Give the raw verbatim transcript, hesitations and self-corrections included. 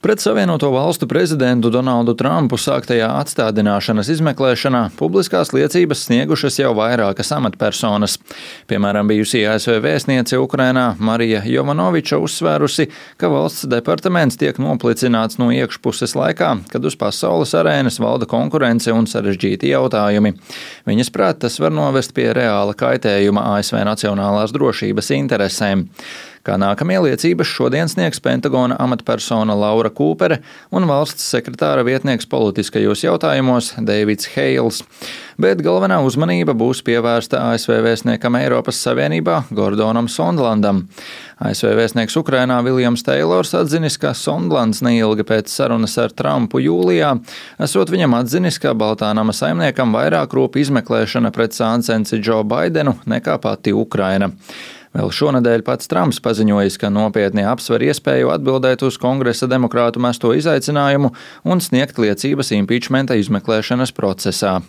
Pret Savienoto Valstu prezidentu Donaldu Trumpu sāktajā atstādināšanas izmeklēšanā publiskās liecības sniegušas jau vairākas amatpersonas. Piemēram, bijusī A S V vēstniece Ukrainā Marija Jovanoviča uzsvērusi, ka valsts departaments tiek noplicināts no iekšpuses laikā, kad uz pasaules arēnas valda konkurence un sarežģīti jautājumi. Viņas prāt, tas var novest pie reāla kaitējuma A S V nacionālās drošības interesēm. Kā nākamie liecības šodien sniegs Pentagona amatpersona Laura Kūpere un valsts sekretāra vietnieks politiskajos jautājumos Deivids Heils. Bet galvenā uzmanība būs pievērsta A S V vēstniekam Eiropas Savienībā Gordonam Sondlandam. A S V vēstnieks Ukrainā Viljams Teilors atzinis, ka Sondlands neilgi pēc sarunas ar Trumpu jūlijā esot viņam atzinis, ka Baltā nama saimniekam vairāk rūp izmeklēšana pret sāncensi Džo Baidenu nekā pati Ukraina. Vēl šonadēļ pats Trumps paziņojis, ka nopietni apsver iespēju atbildēt uz Kongresa demokrātu mesto izaicinājumu un sniegt liecības impičmenta izmeklēšanas procesā.